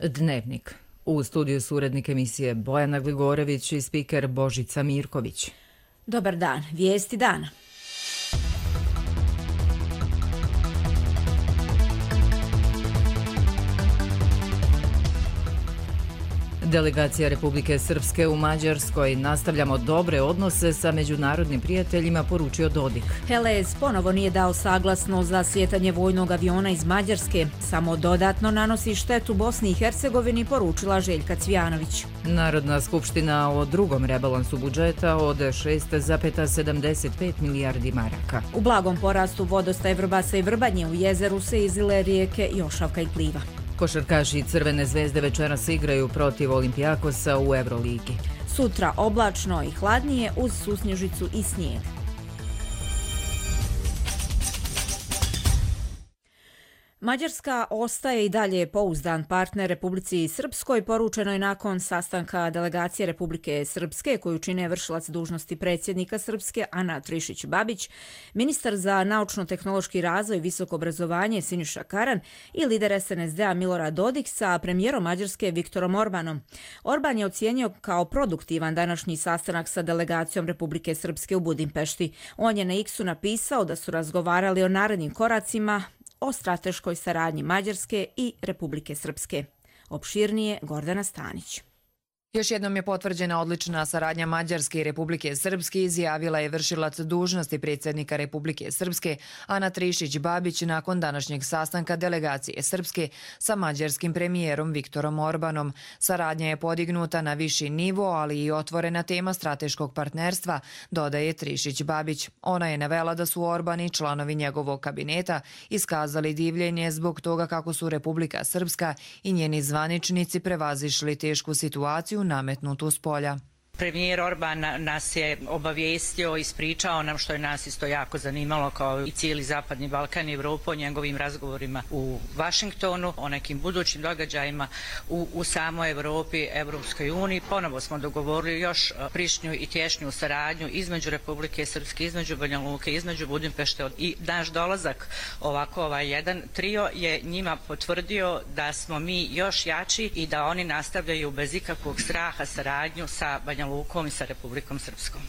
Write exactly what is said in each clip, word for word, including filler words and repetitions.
Dnevnik. U studiju su urednik emisije Bojana Gligorević i spiker Božica Mirković. Dobar dan, vijesti dana. Delegacija Republike Srpske u Mađarskoj. Nastavljamo dobre odnose sa međunarodnim prijateljima, poručio Dodik. Helez ponovo nije dao saglasnost za slijetanje vojnog aviona iz Mađarske. Samo dodatno nanosi štetu Bosni i Hercegovini, poručila Željka Cvijanović. Narodna skupština o drugom rebalansu budžeta od šest zarez sedamdeset pet milijardi maraka. U blagom porastu vodostaj Vrbasa i Vrbanje, u jezeru se izlile rijeke Jošavka i Pliva. Košarkaši Crvene zvezde večeras igraju protiv Olimpijakosa u Euroligi. Sutra oblačno i hladnije uz susnježicu i snijeg. Mađarska ostaje i dalje pouzdan partner Republici Srpskoj, poručeno je nakon sastanka delegacije Republike Srpske koju čine vršilac dužnosti predsjednika Srpske Ana Trišić-Babić, ministar za naučno-tehnološki razvoj i visoko obrazovanje Siniša Karan i lider es en es de a Milorad Dodik sa premijerom Mađarske Viktorom Orbanom. Orban je ocijenio kao produktivan današnji sastanak sa delegacijom Republike Srpske u Budimpešti. On je na X-u napisao da su razgovarali o narednim koracima o strateškoj saradnji Mađarske i Republike Srpske. Opširnije Gordana Stanić. Još jednom je potvrđena odlična saradnja Mađarske i Republike Srpske, izjavila je vršilac dužnosti predsjednika Republike Srpske Ana Trišić-Babić nakon današnjeg sastanka delegacije Srpske sa mađarskim premijerom Viktorom Orbanom. Saradnja je podignuta na viši nivo, ali i otvorena tema strateškog partnerstva, dodaje Trišić-Babić. Ona je navela da su Orban i članovi njegovog kabineta iskazali divljenje zbog toga kako su Republika Srpska i njeni zvaničnici prevazišli tešku situaciju nametnutu s polja. Premijer Orban nas je obavijestio, ispričao nam, što je nas isto jako zanimalo kao i cijeli Zapadni Balkan i Evropu, o njegovim razgovorima u Vašingtonu, o nekim budućim događajima u, u samoj Evropi, Evropskoj uniji. Ponovo smo dogovorili još prišnju i tješnju saradnju između Republike Srpske, između Banja Luke, između Budimpešte, i naš dolazak ovako ovaj jedan trio je njima potvrdio da smo mi još jači i da oni nastavljaju bez ikakvog straha saradnju sa Banja Lukom i sa Republikom Srpskom.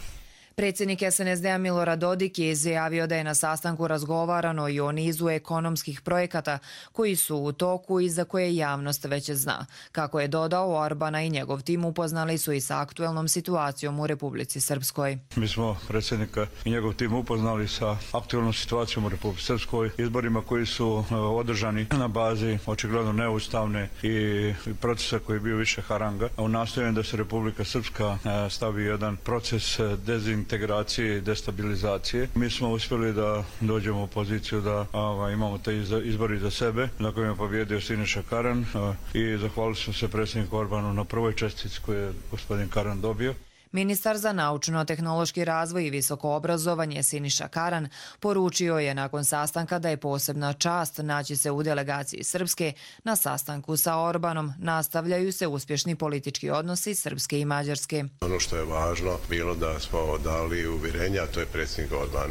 Predsjednik es en es de a Milorad Dodik je izjavio da je na sastanku razgovarano i o nizu ekonomskih projekata koji su u toku i za koje javnost već zna. Kako je dodao, Orbana i njegov tim upoznali su i sa aktuelnom situacijom u Republici Srpskoj. Mi smo predsjednika i njegov tim upoznali sa aktuelnom situacijom u Republici Srpskoj, izborima koji su održani na bazi očigledno neustavne i procesa koji je bio više haranga. U nastojanju da se Republika Srpska stavi jedan proces dezintegracije integracije i destabilizacije. Mi smo uspjeli da dođemo u poziciju da a, imamo te izbori za sebe, na kojem je pobjedio Siniša Karan a, i zahvalili smo se predsjedniku Orbanu na prvoj čestici koju je gospodin Karan dobio. Ministar za naučno-tehnološki razvoj i visoko obrazovanje Siniša Karan poručio je nakon sastanka da je posebna čast naći se u delegaciji Srpske. Na sastanku sa Orbanom nastavljaju se uspješni politički odnosi Srpske i Mađarske. Ono što je važno bilo da smo dali uvjerenja, to je predsjednik Orban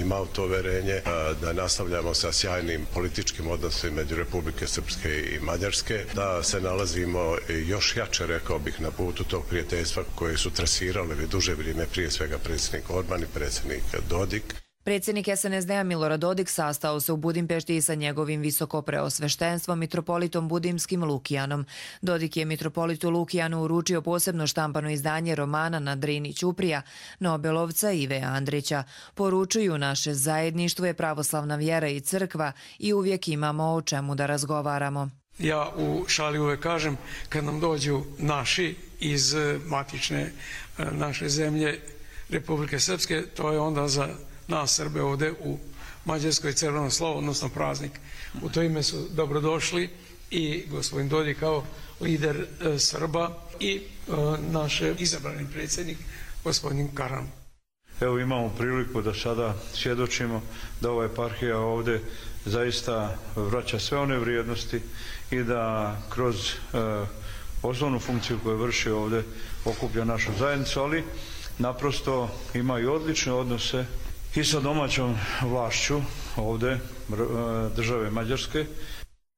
imao to uvjerenje, da nastavljamo sa sjajnim političkim odnosima među Republike Srpske i Mađarske, da se nalazimo još jače, rekao bih, na putu tog prijateljstva koje su trasirali već duže vrijeme, prije svega predsjednik Orban i predsjednik Dodik. Predsjednik es en es de a Milorad Dodik sastao se u Budimpešti sa njegovim visoko preosveštenstvom mitropolitom budimskim Lukijanom. Dodik je mitropolitu Lukijanu uručio posebno štampano izdanje romana Na Drini Ćuprija, nobelovca Ive Andrića. Poručuju, naše zajedništvo je pravoslavna vjera i crkva i uvijek imamo o čemu da razgovaramo. Ja u šali uvek kažem, kad nam dođu naši iz matične naše zemlje Republike Srpske, to je onda za nas Srbe ovdje u Mađarskoj crveno slovo, odnosno praznik. U to ime su dobrodošli i gospodin Dodik kao lider Srba i naš izabrani predsjednik gospodin Karan. Evo imamo priliku da sada svjedočimo da ova eparhija ovdje zaista vraća sve one vrijednosti i da kroz e, osnovnu funkciju koju vrši ovdje okuplja našu zajednicu, ali naprosto ima i odlične odnose i sa domaćom vlašću ovdje države Mađarske.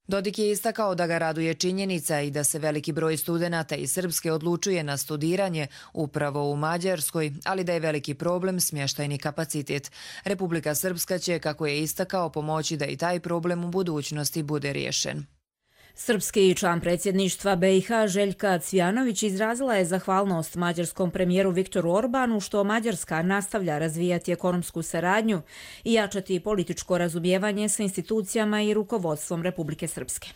Dodik je istakao da ga raduje činjenica i da se veliki broj studenata iz Srpske odlučuje na studiranje upravo u Mađarskoj, ali da je veliki problem smještajni kapacitet. Republika Srpska će, kako je istakao, pomoći da i taj problem u budućnosti bude riješen. Srpski član predsjedništva B i H Željka Cvijanović izrazila je zahvalnost mađarskom premijeru Viktoru Orbanu što Mađarska nastavlja razvijati ekonomsku saradnju i jačati političko razumijevanje sa institucijama i rukovodstvom Republike Srpske.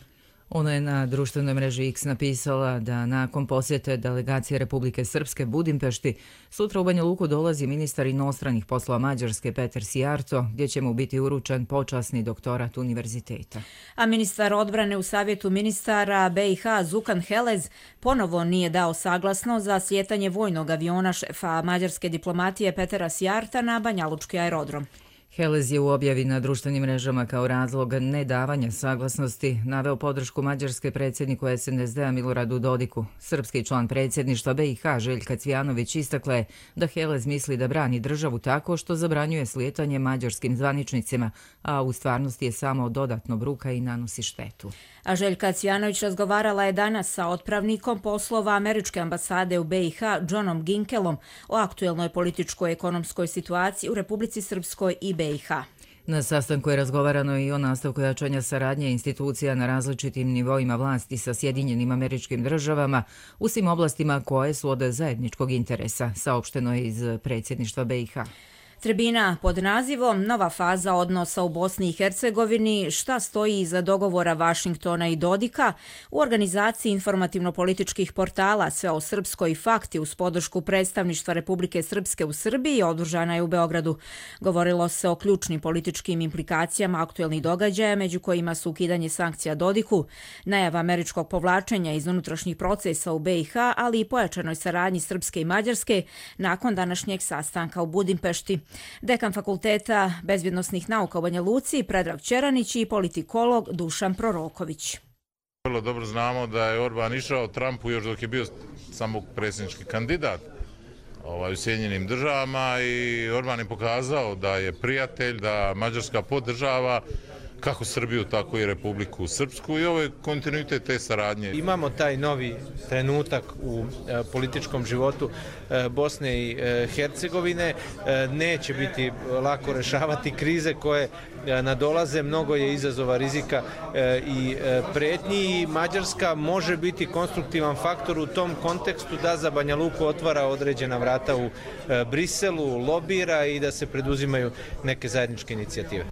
Ona je na društvenoj mreži X napisala da nakon posjete delegacije Republike Srpske Budimpešti sutra u Banja Luku dolazi ministar inostranih poslova Mađarske Peter Sijarto, gdje će mu biti uručen počasni doktorat univerziteta. A ministar odbrane u savjetu ministara B i H Zukan Helez ponovo nije dao saglasno za slijetanje vojnog aviona šefa mađarske diplomatije Petera Sijarta na Banjalučki aerodrom. Helez je u objavi na društvenim mrežama kao razlog nedavanja saglasnosti naveo podršku mađarske predsjedniku S N S D-a Miloradu Dodiku. Srpski član predsjedništva B i H Željka Cvijanović istakla je da Helez misli da brani državu tako što zabranjuje slijetanje mađarskim zvaničnicima, a u stvarnosti je samo dodatno bruka i nanosi štetu. A Željka Cvijanović razgovarala je danas sa otpravnikom poslova američke ambasade u B i H Johnom Ginkelom o aktuelnoj političkoj ekonomskoj situaciji u Republici Srpskoj i B i H. Na sastanku je razgovarano i o nastavku jačanja saradnje institucija na različitim nivoima vlasti sa Sjedinjenim Američkim Državama u svim oblastima koje su od zajedničkog interesa, saopšteno je iz predsjedništva B i H. Tribina pod nazivom Nova faza odnosa u Bosni i Hercegovini, šta stoji iza dogovora Vašingtona i Dodika, u organizaciji informativno-političkih portala Sve o Srpskoj i Fakti uz podršku predstavništva Republike Srpske u Srbiji održana je u Beogradu. Govorilo se o ključnim političkim implikacijama aktuelnih događaja, među kojima su ukidanje sankcija Dodiku, najava američkog povlačenja iz unutrašnjih procesa u B i H, ali i pojačanoj saradnji Srpske i Mađarske nakon današnjeg sastanka u Budimpešti. Dekan Fakulteta bezbjednosnih nauka u Banja Luci Predrag Ćeranić i politikolog Dušan Proroković. Vrlo dobro znamo da je Orban išao Trumpu još dok je bio samo predsjednički kandidat ovaj, u Sjedinjenim Državama i Orban je pokazao da je prijatelj, da Mađarska podržava kako Srbiju, tako i Republiku Srpsku i ovo je kontinuitet te saradnje. Imamo taj novi trenutak u e, političkom životu e, Bosne i e, Hercegovine. E, neće biti lako rešavati krize koje e, nadolaze. Mnogo je izazova, rizika e, i e, pretnji i Mađarska može biti konstruktivan faktor u tom kontekstu da za Banja Luku otvara određena vrata u e, Briselu, lobira i da se preduzimaju neke zajedničke inicijative.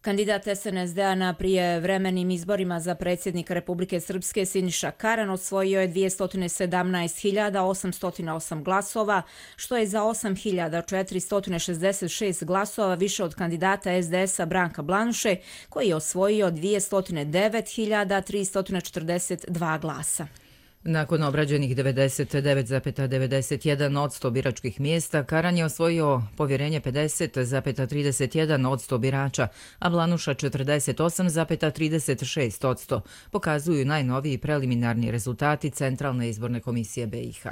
Kandidat S N S D-a na prijevremenim izborima za predsjednika Republike Srpske Siniša Karan osvojio je dvjesto sedamnaest hiljada osamsto osam glasova, što je za osam hiljada četiristo šezdeset šest glasova više od kandidata S D S-a Branka Blanuše, koji je osvojio dvjesto devet hiljada tristo četrdeset dva glasa. Nakon obrađenih devedeset devet zarez devedeset jedan posto biračkih mjesta, Karan je osvojio povjerenje pedeset zarez trideset jedan posto birača, a Blanuša četrdeset osam zarez trideset šest posto, pokazuju najnoviji preliminarni rezultati Centralne izborne komisije B i H.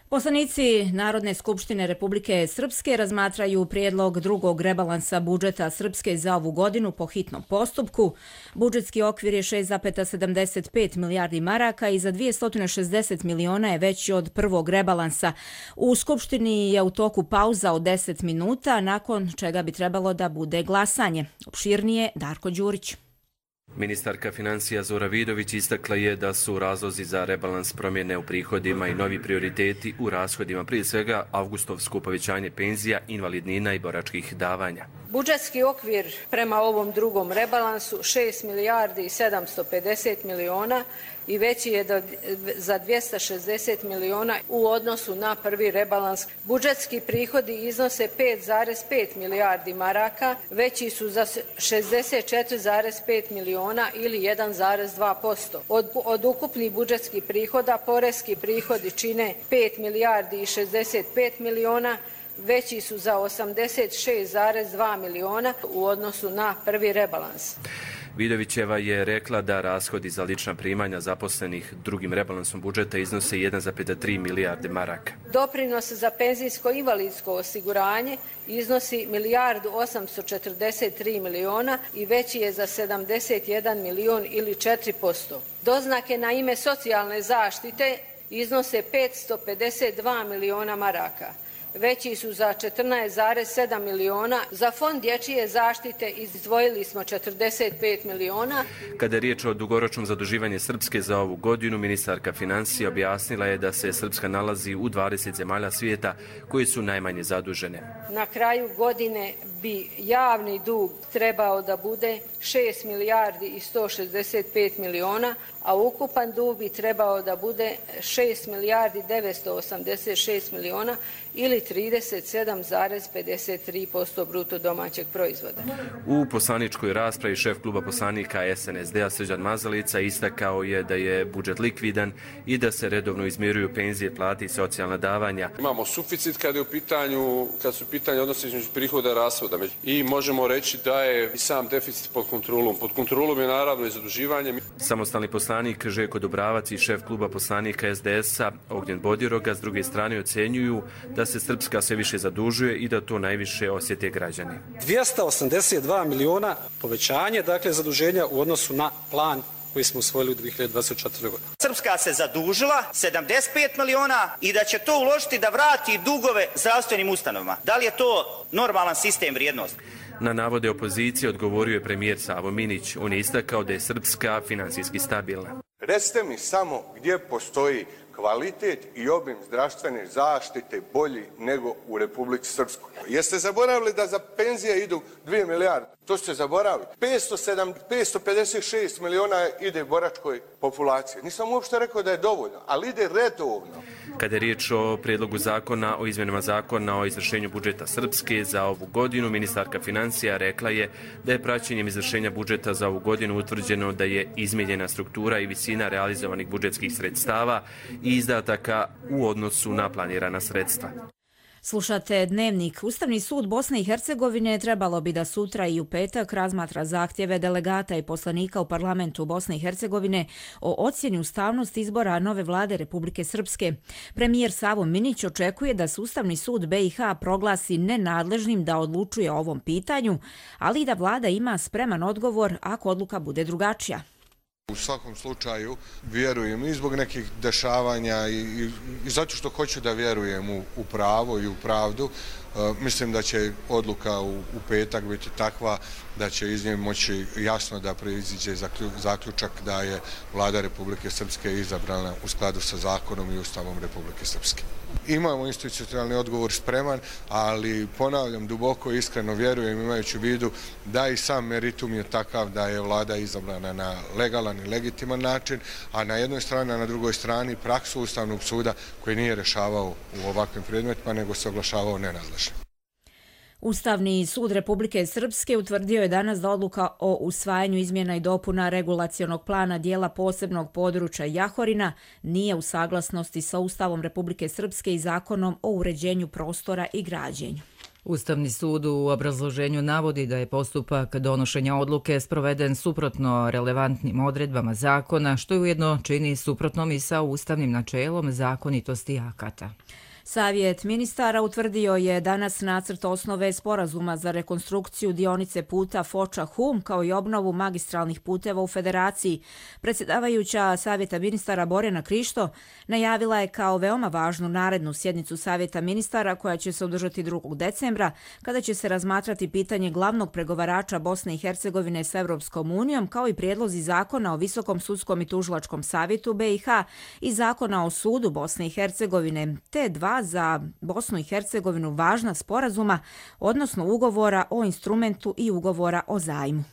Poslanici Narodne skupštine Republike Srpske razmatraju prijedlog drugog rebalansa budžeta Srpske za ovu godinu po hitnom postupku. Budžetski okvir je šest zarez sedamdeset pet milijardi maraka i za dvjesto šezdeset miliona je veći od prvog rebalansa. U Skupštini je u toku pauza od deset minuta, nakon čega bi trebalo da bude glasanje. Opširnije Darko Đurić. Ministarka financija Zora Vidović istakla je da su razlozi za rebalans promjene u prihodima i novi prioriteti u rashodima, prije svega avgustovsko povećanje penzija, invalidnina i boračkih davanja. Budžetski okvir prema ovom drugom rebalansu šest milijardi i sedamsto pedeset miliona i veći je za dvjesto šezdeset miliona u odnosu na prvi rebalans. Budžetski prihodi iznose pet zarez pet milijardi maraka, veći su za šezdeset četiri zarez pet miliona ili jedan zarez dva posto. Od, od ukupnih budžetskih prihoda poreski prihodi čine pet milijardi i šezdeset pet miliona, veći su za osamdeset šest zarez dva miliona u odnosu na prvi rebalans. Vidovićeva je rekla da rashodi za lična primanja zaposlenih drugim rebalansom budžeta iznose jedan zarez tri milijarde maraka. Doprinos za penzijsko-invalidsko osiguranje iznosi milijardu osamsto četrdeset tri miliona i veći je za sedamdeset jedan milion ili četiri posto. Doznake na ime socijalne zaštite iznose petsto pedeset dva miliona maraka. Veći su za četrnaest zarez sedam miliona. Za fond dječje zaštite izdvojili smo četrdeset pet miliona. Kada je riječ o dugoročnom zaduživanju Srpske za ovu godinu, ministarka financija objasnila je da se Srpska nalazi u dvadeset zemalja svijeta koji su najmanje zadužene. Na kraju godine bi javni dug trebao da bude šest milijardi i sto šezdeset pet miliona, a ukupan dug bi trebao da bude šest milijardi devetsto osamdeset šest miliona ili trideset sedam zarez pedeset tri posto bruto domaćeg proizvoda. U poslaničkoj raspravi šef kluba poslanika S N S D-a Srđan Mazalica istakao je da je budžet likvidan i da se redovno izmiruju penzije, plate i socijalna davanja. Imamo suficit kad je u pitanju, kad su u pitanju odnosi između prihoda i rashoda i možemo reći da je i sam deficit pod kontrolom. Pod kontrolom je naravno i zaduživanje. Samostalni poslanik Željko Dubravac i šef kluba poslanika S D S-a Ognjen Bodiroga s druge strane ocenjuju da se Srpska sve više zadužuje i da to najviše osjete građani. dvjesto osamdeset dva miliona povećanje, dakle, zaduženja u odnosu na plan koji smo usvojili u dvije hiljade dvadeset četvrtoj. godine. Srpska se zadužila sedamdeset pet miliona i da će to uložiti da vrati dugove zdravstvenim ustanovama. Da li je to normalan sistem vrijednosti? Na navode opozicije odgovorio je premijer Savo Minić. On je istakao da je Srpska finansijski stabilna. Recite mi samo gdje postoji kvalitet i obim zdravstvene zaštite bolji nego u Republici Srpskoj. Jeste zaboravili da za penzije idu dvije milijarde? To ste zaboravili. petsto pedeset šest miliona ide boračkoj populaciji. Nisam uopšte rekao da je dovoljno, ali ide redovno. Kada je riječ o prijedlogu zakona o izmjenama zakona o izvršenju budžeta Srpske za ovu godinu, ministarka financija rekla je da je praćenjem izvršenja budžeta za ovu godinu utvrđeno da je izmijenjena struktura i visina realizovanih budžetskih sredstava i izdataka u odnosu na planirana sredstva. Slušate Dnevnik. Ustavni sud Bosne i Hercegovine trebalo bi da sutra i u petak razmatra zahtjeve delegata i poslanika u parlamentu Bosne i Hercegovine o ocjeni ustavnosti izbora nove vlade Republike Srpske. Premijer Savo Minić očekuje da se Ustavni sud B i H proglasi nenadležnim da odlučuje o ovom pitanju, ali i da vlada ima spreman odgovor ako odluka bude drugačija. U svakom slučaju vjerujem i zbog nekih dešavanja i, i, i zato što hoću da vjerujem u, u pravo i u pravdu. E, mislim da će odluka u, u petak biti takva da će iz nje moći jasno da proiziđe zaključak da je vlada Republike Srpske izabrana u skladu sa zakonom i Ustavom Republike Srpske. Imamo institucionalni odgovor spreman, ali ponavljam, duboko i iskreno vjerujem, imajući u vidu da i sam meritum je takav da je vlada izabrana na legalan i legitiman način, a na jednoj strani, a na drugoj strani praksu Ustavnog suda koji nije rješavao u ovakvim predmetima, nego se oglašavao nenadležnim. Ustavni sud Republike Srpske utvrdio je danas da odluka o usvajanju izmjena i dopuna regulacionog plana dijela posebnog područja Jahorina nije u saglasnosti sa Ustavom Republike Srpske i zakonom o uređenju prostora i građenju. Ustavni sud u obrazloženju navodi da je postupak donošenja odluke sproveden suprotno relevantnim odredbama zakona, što je ujedno čini suprotnom i sa ustavnim načelom zakonitosti akata. Savjet ministara utvrdio je danas nacrt osnove sporazuma za rekonstrukciju dionice puta Foča-Hum kao i obnovu magistralnih puteva u Federaciji. Predsjedavajuća Savjeta ministara Borjana Krišto najavila je kao veoma važnu narednu sjednicu Savjeta ministara koja će se održati drugog decembra, kada će se razmatrati pitanje glavnog pregovarača Bosne i Hercegovine s Evropskom unijom, kao i prijedlozi zakona o Visokom sudskom i tužilačkom savjetu B i H i zakona o sudu Bosne i Hercegovine, te dva za Bosnu i Hercegovinu važna sporazuma, odnosno ugovora o instrumentu i ugovora o zajmu.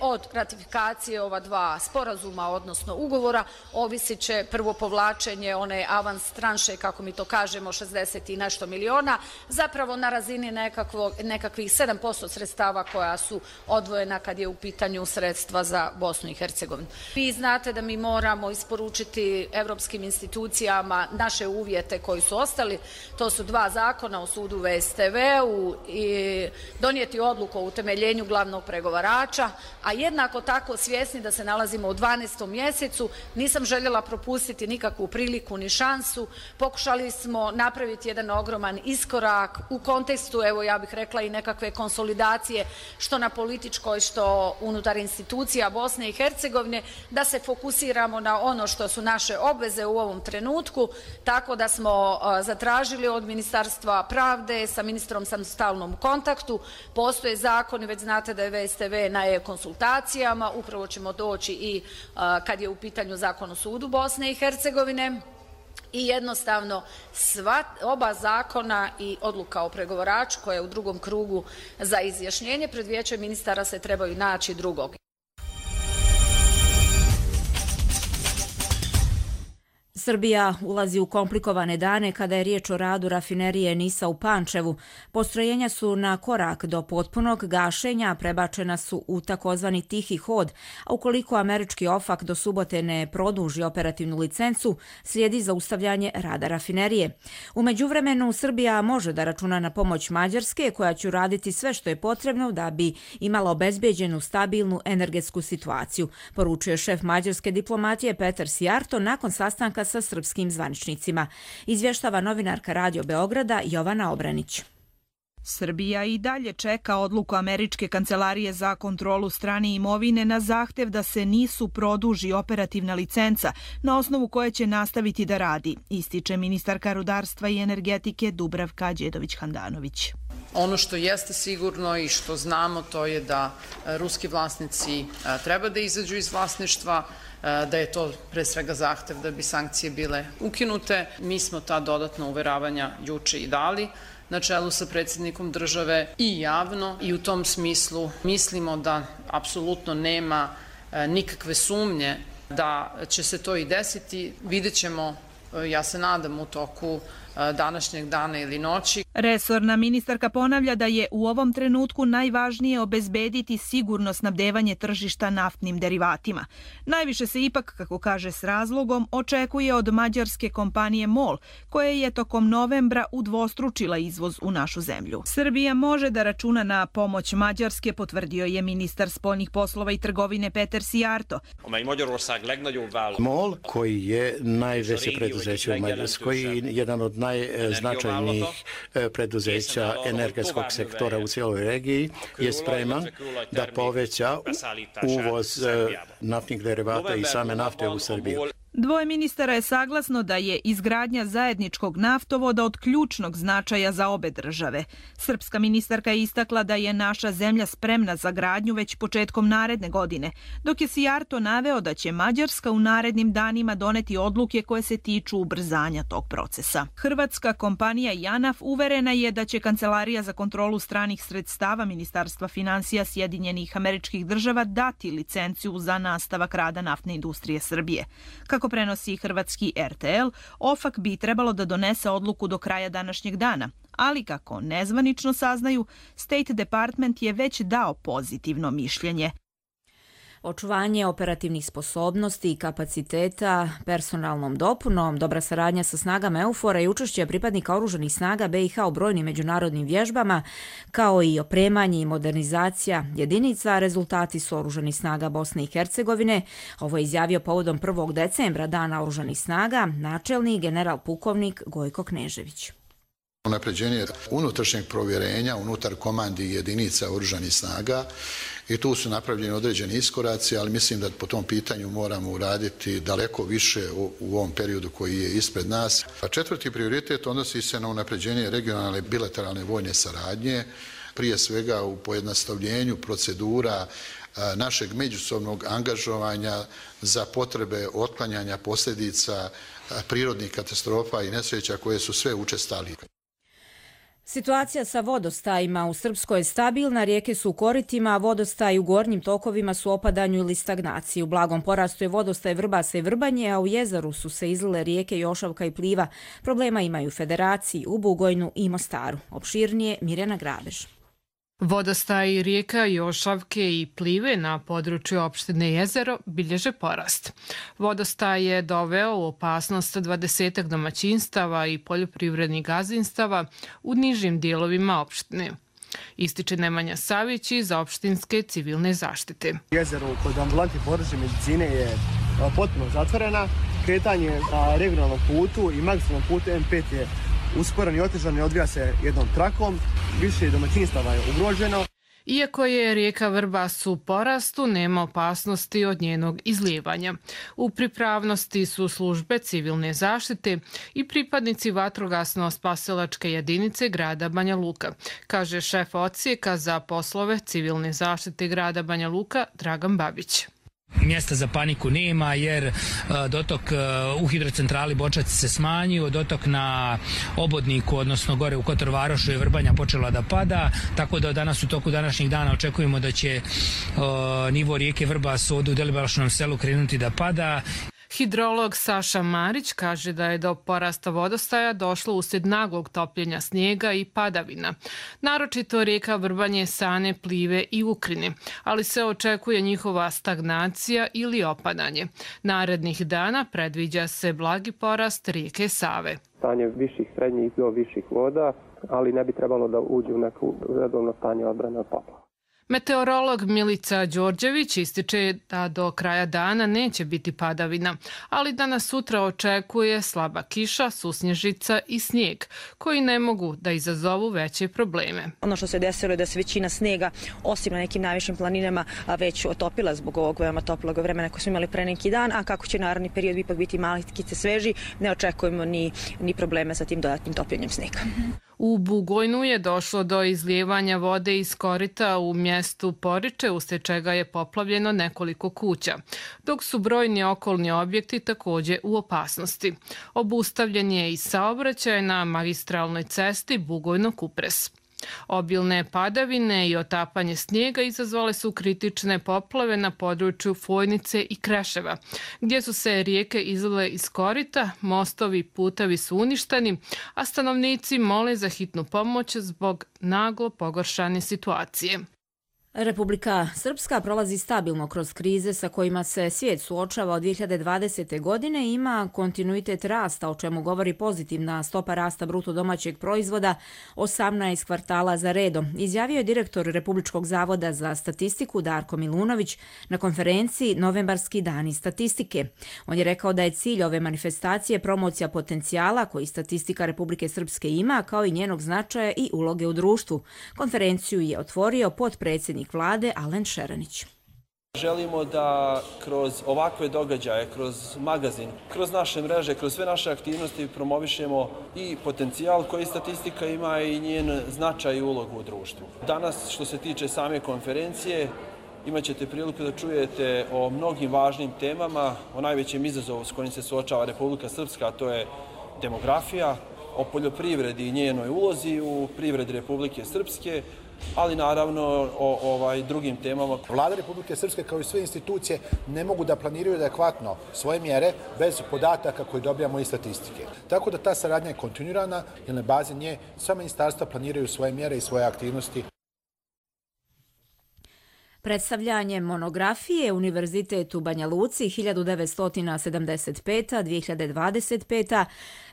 Od ratifikacije ova dva sporazuma, odnosno ugovora, ovisit će prvo povlačenje one avans tranše, kako mi to kažemo, šezdeset i nešto miliona, zapravo na razini nekakvo, nekakvih sedam posto sredstava koja su odvojena kad je u pitanju sredstva za Bosnu i Hercegovinu. Vi znate da mi moramo isporučiti evropskim institucijama naše uvjete koji su ostali, to su dva zakona o sudu V S T V-u i donijeti odluku o utemeljenju glavnog pregovarača, a a jednako tako svjesni da se nalazimo u dvanaestom mjesecu. Nisam željela propustiti nikakvu priliku ni šansu. Pokušali smo napraviti jedan ogroman iskorak u kontekstu, evo ja bih rekla, i nekakve konsolidacije što na političkoj, što unutar institucija Bosne i Hercegovine, da se fokusiramo na ono što su naše obveze u ovom trenutku, tako da smo zatražili od Ministarstva pravde, sa ministrom sam u stalnom kontaktu, postoje zakoni, već znate da je V S T V na e-konsultacijama, upravo ćemo doći i kad je u pitanju Zakon o sudu Bosne i Hercegovine, i jednostavno sva, oba zakona i odluka o pregovaraču koja je u drugom krugu za izjašnjenje pred vijećem ministara se trebaju naći drugog. Srbija ulazi u komplikovane dane kada je riječ o radu rafinerije Nisa u Pančevu. Postrojenja su na korak do potpunog gašenja, prebačena su u takozvani tihi hod, a ukoliko američki OFAC do subote ne produži operativnu licencu, slijedi zaustavljanje rada rafinerije. U međuvremenu Srbija može da računa na pomoć Mađarske, koja će uraditi sve što je potrebno da bi imala obezbeđenu stabilnu energetsku situaciju, poručuje šef mađarske diplomatije Petar Sijarto nakon sastanka sa srpskim zvaničnicima. Izvještava novinarka Radio Beograda Jovana Obranić. Srbija i dalje čeka odluku Američke kancelarije za kontrolu strane imovine na zahtev da se nisu produži operativna licenca na osnovu koje će nastaviti da radi, ističe ministarka rudarstva i energetike Dubravka Đedović-Handanović. Ono što jeste sigurno i što znamo to je da ruski vlasnici treba da izađu iz vlasništva, da je to pre svega zahtev da bi sankcije bile ukinute. Mi smo ta dodatna uveravanja juče i dali na čelu sa predsjednikom države i javno, i u tom smislu mislimo da apsolutno nema nikakve sumnje da će se to i desiti. Vidjet ćemo, ja se nadam, u toku današnjeg dana ili noći. Resorna ministarka ponavlja da je u ovom trenutku najvažnije obezbediti sigurno snabdevanje tržišta naftnim derivatima. Najviše se ipak, kako kaže s razlogom, očekuje od mađarske kompanije MOL, koja je tokom novembra udvostručila izvoz u našu zemlju. Srbija može da računa na pomoć Mađarske, potvrdio je ministar spoljnih poslova i trgovine Petar Sijarto. MOL, koji je najveće preduzeće u Mađarskoj i jedan od najznačajnijih preduzeća energetskog sektora u cijeloj regiji, je spreman da poveća uvoz naftnih derivata i same nafte u Srbiju. Dvoje ministara je saglasno da je izgradnja zajedničkog naftovoda od ključnog značaja za obe države. Srpska ministarka je istakla da je naša zemlja spremna za gradnju već početkom naredne godine, dok je Sijarto naveo da će Mađarska u narednim danima doneti odluke koje se tiču ubrzanja tog procesa. Hrvatska kompanija JANAF uverena je da će Kancelarija za kontrolu stranih sredstava Ministarstva finansija Sjedinjenih Američkih Država dati licenciju za nastavak rada naftne industrije Srbije. Kako prenosi hrvatski R T L, OFAC bi trebalo da donese odluku do kraja današnjeg dana, ali kako nezvanično saznaju, State Department je već dao pozitivno mišljenje. Očuvanje operativnih sposobnosti i kapaciteta personalnom dopunom, dobra saradnja sa snagama EUFOR-a i učešće pripadnika oružanih snaga B i H u brojnim međunarodnim vježbama, kao i opremanje i modernizacija jedinica, rezultati su oružanih snaga Bosne i Hercegovine. Ovo je izjavio povodom prvog decembra, Dana oružanih snaga, načelnik general pukovnik Gojko Knežević. Unapređenje unutrašnjeg provjerenja unutar komandi jedinica oružanih snaga i tu su napravljeni određeni iskoraci, ali mislim da po tom pitanju moramo uraditi daleko više u, u ovom periodu koji je ispred nas. A četvrti prioritet odnosi se na unapređenje regionalne bilateralne vojne saradnje, prije svega u pojednostavljenju procedura našeg međusobnog angažovanja za potrebe otklanjanja posljedica prirodnih katastrofa i nesreća koje su sve učestalije. Situacija sa vodostajima u Srpskoj je stabilna, rijeke su u koritima, a vodostaji u gornjim tokovima su u opadanju ili stagnaciji. U blagom porastu je vodostaj Vrbasa i Vrbanje, a u jezeru su se izlile rijeke Jošavka i Pliva. Problema imaju u Federaciji, u Bugojnu i Mostaru. Opširnije Mirjana Grabež. Vodostaji rijeka Jošavke i Plive na području opštine Jezero bilježe porast. Vodostaj je doveo u opasnost dvadesetak domaćinstava i poljoprivrednih gazdinstava u nižim dijelovima opštine. Ističe Nemanja Savić iz opštinske civilne zaštite. Jezero kod ambulanti područne medicine je potpuno zatvorena. Kretanje na regionalnom putu i magistralnom putu M pet je usporen i otežan i odvija se jednom trakom. Više domaćinstava je ugroženo. Iako je rijeka Vrbas u porastu, nema opasnosti od njenog izlijevanja. U pripravnosti su službe civilne zaštite i pripadnici vatrogasno-spasilačke jedinice grada Banja Luka, kaže šef odsjeka za poslove civilne zaštite grada Banja Luka Dragan Babić. Mjesta za paniku nema jer dotok u hidrocentrali Bočac se smanjio, dotok na obodniku, odnosno gore u Kotor Varošu je Vrbanja počela da pada, tako da danas u toku današnjih dana očekujemo da će nivo rijeke Vrbas ovdje u Delibašnom selu krenuti da pada. Hidrolog Saša Marić kaže da je do porasta vodostaja došlo uslijed naglog topljenja snijega i padavina. Naročito rijeka Vrbanje, Sane, Plive i Ukrine, ali se očekuje njihova stagnacija ili opadanje. Narednih dana predviđa se blagi porast rijeke Save. Stanje viših, srednjih do viših voda, ali ne bi trebalo da uđe u neko redovno stanje odbrane od poplava. Meteorolog Milica Đorđević ističe da do kraja dana neće biti padavina, ali da nas sutra očekuje slaba kiša, susnježica i snijeg, koji ne mogu da izazovu veće probleme. Ono što se desilo je da se većina snijega, osim na nekim najvišim planinama, već otopila zbog ovog veoma toplog vremena koje smo imali pre neki dan, a kako će naredni period ipak biti malikice sveži, ne očekujemo ni, ni probleme sa tim dodatnim topljenjem snijega. U Bugojnu je došlo do izlijevanja vode iz korita u mjestu Poriče, uslijed čega je poplavljeno nekoliko kuća, dok su brojni okolni objekti također u opasnosti. Obustavljen je i saobraćaj na magistralnoj cesti Bugojno-Kupres. Obilne padavine i otapanje snijega izazvale su kritične poplave na području Fojnice i Kreševa, gdje su se rijeke izlile iz korita, mostovi i putevi su uništeni, a stanovnici mole za hitnu pomoć zbog naglo pogoršane situacije. Republika Srpska prolazi stabilno kroz krize sa kojima se svijet suočava od dvije hiljade dvadesete. godine i ima kontinuitet rasta, o čemu govori pozitivna stopa rasta bruto domaćeg proizvoda osamnaest kvartala za redom, izjavio je direktor Republičkog zavoda za statistiku Darko Milunović na konferenciji Novembarski dani statistike. On je rekao da je cilj ove manifestacije promocija potencijala koji statistika Republike Srpske ima, kao i njenog značaja i uloge u društvu. Konferenciju je otvorio potpredsjednik Vlade Alen Šeranić. Želimo da kroz ovakve događaje, kroz magazin, kroz naše mreže, kroz sve naše aktivnosti promovišemo i potencijal koji statistika ima i njen značaj i ulogu u društvu. Danas, što se tiče same konferencije, imat ćete priliku da čujete o mnogim važnim temama, o najvećem izazovu s kojim se suočava Republika Srpska, a to je demografija, o poljoprivredi i njenoj ulozi u privredi Republike Srpske, ali naravno o ovaj, drugim temama. Vlada Republike Srpske kao i sve institucije ne mogu da planiraju adekvatno svoje mjere bez podataka koje dobijamo iz statistike. Tako da ta saradnja je kontinuirana, jer na bazi nje sva ministarstva planiraju svoje mjere i svoje aktivnosti. Predstavljanje monografije Univerzitet u Banja Luci hiljadu devetsto sedamdeset peta do dvije hiljade dvadeset peta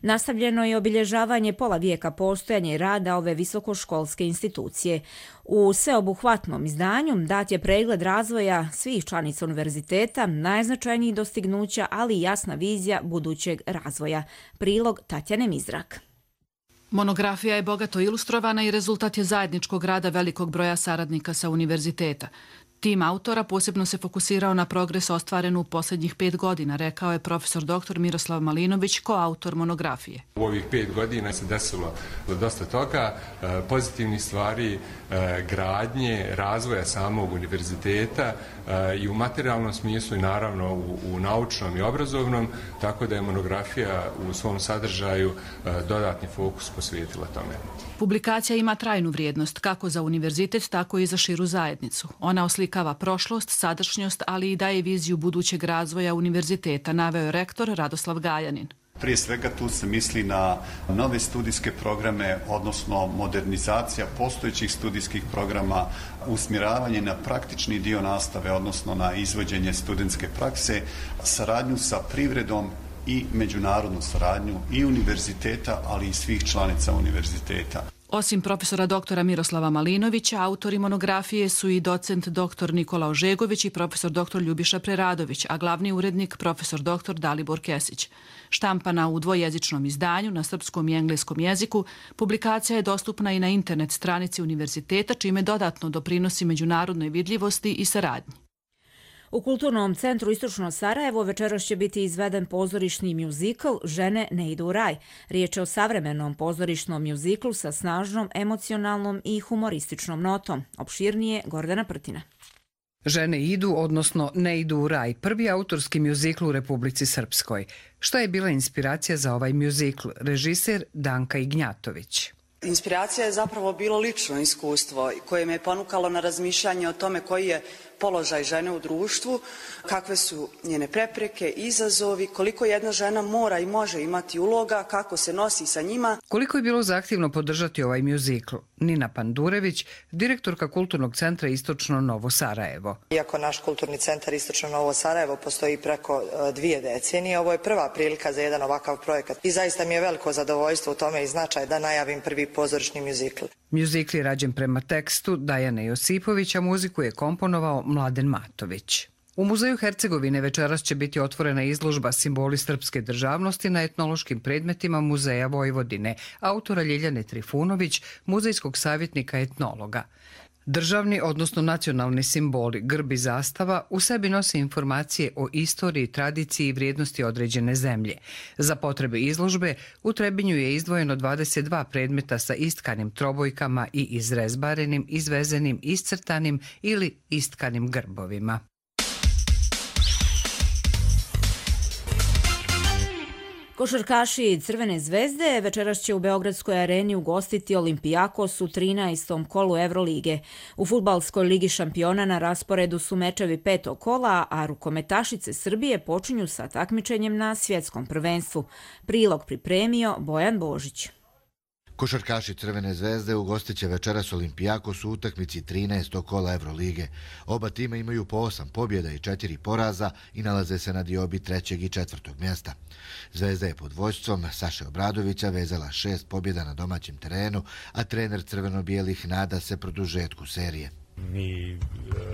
nastavljeno je obilježavanje pola vijeka postojanja i rada ove visokoškolske institucije. U sveobuhvatnom izdanju dat je pregled razvoja svih članica univerziteta, najznačajnijih dostignuća, ali i jasna vizija budućeg razvoja. Prilog Tatjane Mizrak. Monografija je bogato ilustrovana i rezultat je zajedničkog rada velikog broja saradnika sa univerziteta. Tim autora posebno se fokusirao na progres ostvaren u posljednjih pet godina, rekao je profesor doktor Miroslav Malinović, koautor monografije. U ovih pet godina se desilo dosta toga, pozitivnih stvari, gradnje, razvoja samog univerziteta i u materijalnom smislu i naravno u, u naučnom i obrazovnom, tako da je monografija u svom sadržaju dodatni fokus posvetila tome. Publikacija ima trajnu vrijednost kako za univerzitet, tako i za širu zajednicu. Ona oslikava prošlost, sadašnjost, ali i daje viziju budućeg razvoja univerziteta, naveo je rektor Radoslav Gajanin. Prije svega tu se misli na nove studijske programe, odnosno modernizacija postojećih studijskih programa, usmjeravanje na praktični dio nastave, odnosno na izvođenje studentske prakse, saradnju sa privredom i međunarodnu saradnju i univerziteta, ali i svih članica univerziteta. Osim profesora doktora Miroslava Malinovića, autori monografije su i docent doktor Nikola Ožegović i profesor doktor Ljubiša Preradović, a glavni urednik profesor doktor Dalibor Kesić. Štampana u dvojezičnom izdanju na srpskom i engleskom jeziku, publikacija je dostupna i na internet stranici univerziteta, čime dodatno doprinosi međunarodnoj vidljivosti i saradnji. U Kulturnom centru Istočno Sarajevo večeras će biti izveden pozorišni mjuzikl Žene ne idu u raj. Riječ je o savremenom pozorišnom mjuziklu sa snažnom, emocionalnom i humorističnom notom. Opširnije Gordana Prtina. Žene idu, odnosno ne idu u raj, prvi autorski mjuzikl u Republici Srpskoj. Šta je bila inspiracija za ovaj mjuzikl? Režiser Danka Ignjatović. Inspiracija je zapravo bilo lično iskustvo koje me je ponukalo na razmišljanje o tome koji je položaj žene u društvu, kakve su njene prepreke, izazovi, koliko jedna žena mora i može imati uloga, kako se nosi sa njima. Koliko je bilo zahtjevno podržati ovaj mjuzikl? Nina Pandurević, direktorka Kulturnog centra Istočno Novo Sarajevo. Iako naš Kulturni centar Istočno Novo Sarajevo postoji preko dvije decenije, ovo je prva prilika za jedan ovakav projekat. I zaista mi je veliko zadovoljstvo u tome i značaj da najavim prvi pozorišni mjuzikl. Mjuzikl je rađen prema tekstu Dajane Josipović, a muziku je komponovao Mladen Matović. U Muzeju Hercegovine večeras će biti otvorena izložba Simboli srpske državnosti na etnološkim predmetima Muzeja Vojvodine, autora Ljiljane Trifunović, muzejskog savjetnika etnologa. Državni, odnosno nacionalni simboli, grb i zastava u sebi nose informacije o istoriji, tradiciji i vrijednosti određene zemlje. Za potrebe izložbe u Trebinju je izdvojeno dvadeset dva predmeta sa istkanim trobojkama i izrezbarenim, izvezenim, iscrtanim ili istkanim grbovima. Košarkaši Crvene zvezde večeras će u Beogradskoj areni ugostiti Olimpijakos u trinaestom kolu Evrolige. U fudbalskoj ligi šampiona na rasporedu su mečevi petog kola, a rukometašice Srbije počinju sa takmičenjem na svjetskom prvenstvu. Prilog pripremio Bojan Božić. Košarkaši Crvene zvezde ugostit će večeras Olimpijakos u utakmici trinaestog kola Evrolige. Oba tima imaju po osam pobjeda i četiri poraza i nalaze se na diobi trećeg i četvrtog mjesta. Zvezda je pod vodstvom Saše Obradovića vezala šest pobjeda na domaćem terenu, a trener crveno-bijelih nada se produžetku serije. Mi e,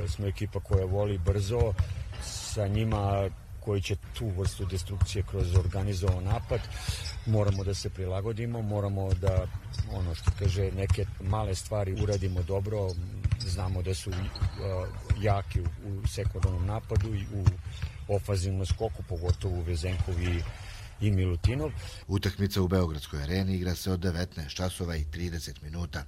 smo ekipa koja voli brzo, sa njima koji će tu vrstu destrukcije kroz organizovan napad. Moramo da se prilagodimo, moramo da, ono što kaže, neke male stvari uradimo dobro. Znamo da su uh, jaki u, u sekundarnom napadu i u ofazivnom skoku, pogotovo Vezenkov i i Milutinov. Utakmica u Beogradskoj areni igra se od devetnaest časova i trideset minuta.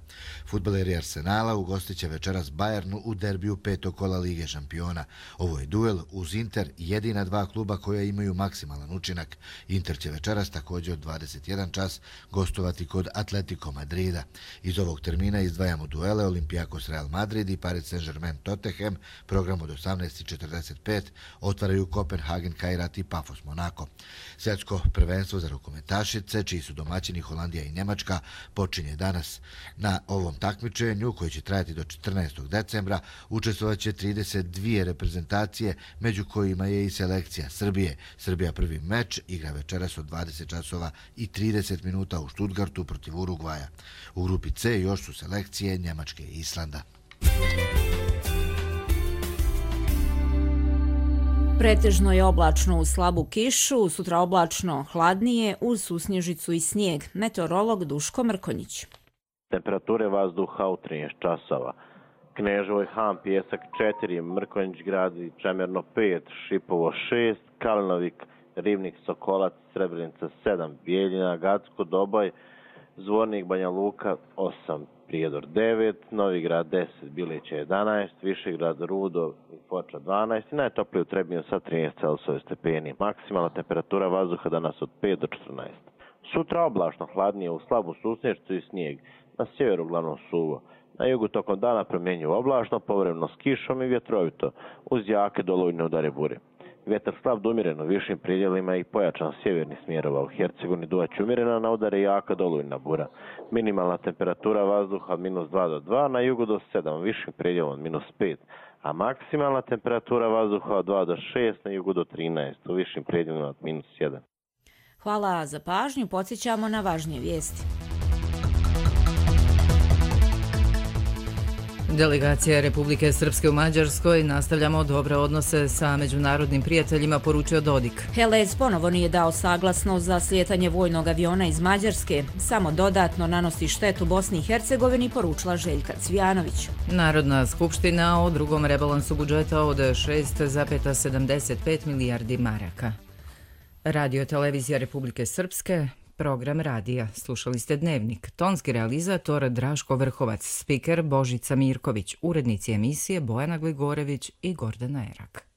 Fudbaleri Arsenala ugostit će večeras Bayernu u derbiju petog kola Lige šampiona. Ovo je duel uz Inter, jedina dva kluba koja imaju maksimalan učinak. Inter će večeras također od dvadeset jedan čas gostovati kod Atletico Madrida. Iz ovog termina izdvajamo duele Olimpijakos Real Madrid i Paris Saint-Germain Tottenham. Program od osamnaest i četrdeset pet otvaraju Kopenhagen Kairat i Pafos Monako. Svjetsko prvenstvo za rukometašice, čiji su domaćini Holandija i Njemačka, počinje danas. Na ovom takmičenju, koji će trajati do četrnaestog decembra, učestvovat će trideset dvije reprezentacije, među kojima je i selekcija Srbije. Srbija prvi meč igra večeras od dvadeset časova i trideset minuta u Stuttgartu protiv Urugvaja. U grupi C još su selekcije Njemačke i Islanda. Pretežno je oblačno uz slabu kišu, sutra oblačno hladnije uz susnježicu i snijeg. Meteorolog Duško Mrkonjić. Temperature vazduha u trinaest časova. Kneževoj Han Pjesak četiri, Mrkonjić grad i Čemerno pet, Šipovo šest, Kalinovik, Rivnik, Sokolac, Srebrenica sedam, Bijeljina, Gacko, Doboj, Zvornik, Banja Luka osam, Prijedor devet, Novigrad deset, Bilića jedanaest, Višegrad, Rudo i Foča dvanaest i najtoplije u Trebinju sa trinaest Celsijev stepeni. Maksimalna temperatura vazduha danas od pet do četrnaest. Sutra oblačno, hladnije u slabu susnježicu i snijeg. Na sjeveru uglavnom suvo. Na jugu tokom dana promjenjivo oblačno, povremeno s kišom i vjetrovito, uz jake dolujne udare bure. Vjetar slab do umjeren u višim predjelima i pojačan sjeverni smjerova. U Hercegovini duvaće umjerena, na udare jaka dolujna bura. Minimalna temperatura vazduha od minus dva do dva, na jugu do sedam, u višim predjelom od minus pet, a maksimalna temperatura vazduha od dva do šest, na jugu do trinaest, u višim predjelima od minus jedan. Hvala za pažnju, podsjećamo na važnije vijesti. Delegacija Republike Srpske u Mađarskoj nastavljamo dobre odnose sa međunarodnim prijateljima, poručio Dodik. Helez ponovo nije dao saglasnost za slijetanje vojnog aviona iz Mađarske, samo dodatno nanosi štetu Bosni i Hercegovini, poručila Željka Cvijanović. Narodna skupština o drugom rebalansu budžeta od šest zarez sedamdeset pet milijardi maraka. Radio televizija Republike Srpske, program radija. Slušali ste Dnevnik. Tonski realizator Draško Vrhovac, spiker Božica Mirković, urednici emisije Bojana Gligorević i Gordana Erak.